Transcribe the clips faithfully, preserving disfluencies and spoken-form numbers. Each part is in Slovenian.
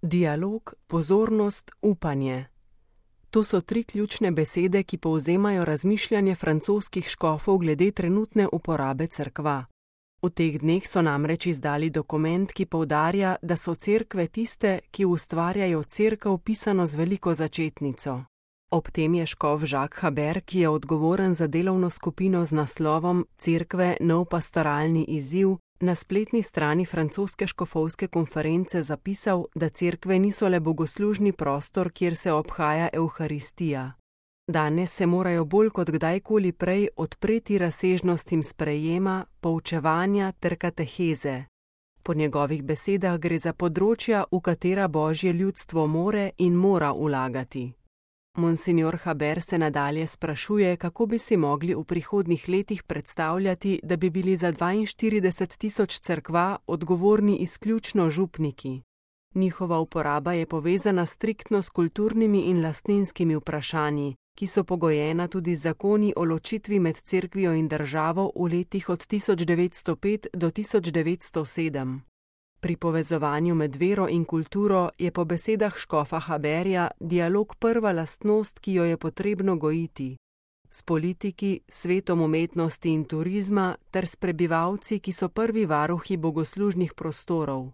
Dialog, pozornost, upanje. To so tri ključne besede, ki povzemajo razmišljanje francoskih škofov glede trenutne uporabe cerkva. V teh dneh so namreč izdali dokument, ki poudarja, da so cerkve tiste, ki ustvarjajo cerkev pisano z veliko začetnico. Ob tem je škof Jacques Habert, ki je odgovoren za delovno skupino z naslovom Cerkve nov pastoralni izziv, na spletni strani francoske škofovske konference zapisal, da cerkve niso le bogoslužni prostor, kjer se obhaja evharistija. Danes se morajo bolj kot kdajkoli prej odpreti razsežnostim sprejema, poučevanja ter kateheze. Po njegovih besedah gre za področja, v katera Božje ljudstvo more in mora vlagati. Monsignor Habert se nadalje sprašuje, kako bi si mogli v prihodnjih letih predstavljati, da bi bili za dvainštirideset tisoč cerkva odgovorni izključno župniki. Njihova uporaba je povezana striktno s kulturnimi in lastninskimi vprašanji, ki so pogojena tudi z zakoni o ločitvi med cerkvijo in državo v letih od tisoč devetsto pet do tisoč devetsto sedem. Pri povezovanju med vero in kulturo je po besedah škofa Haberja dialog prva lastnost, ki jo je potrebno gojiti. S politiki, svetom umetnosti in turizma ter s prebivalci, ki so prvi varuhi bogoslužnih prostorov.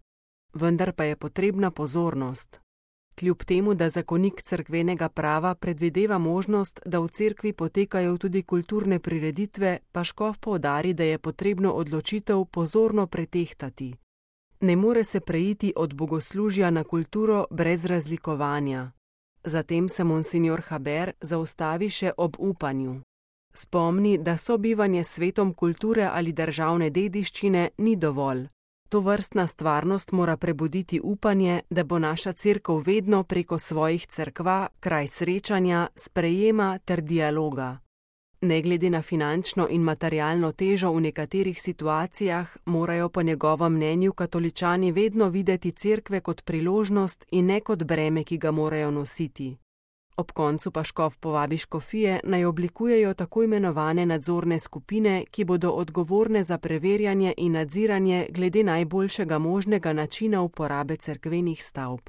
Vendar pa je potrebna pozornost. Kljub temu, da zakonik cerkvenega prava predvideva možnost, da v cerkvi potekajo tudi kulturne prireditve, pa škof poudari, da je potrebno odločitev pozorno pretehtati. Ne more se preiti od bogoslužja na kulturo brez razlikovanja. Zatem se monsignor Habert zaustavi še ob upanju. Spomni, da sobivanje s svetom kulture ali državne dediščine ni dovolj. Tovrstna stvarnost mora prebuditi upanje, da bo naša cerkev vedno preko svojih cerkva kraj srečanja, sprejema ter dialoga. Ne glede na finančno in materialno težo v nekaterih situacijah, morajo po njegovem mnenju katoličani vedno videti cerkve kot priložnost in ne kot breme, ki ga morajo nositi. Ob koncu pa škof povabi škofije, naj oblikujejo tako imenovane nadzorne skupine, ki bodo odgovorne za preverjanje in nadziranje glede najboljšega možnega načina uporabe cerkvenih stavb.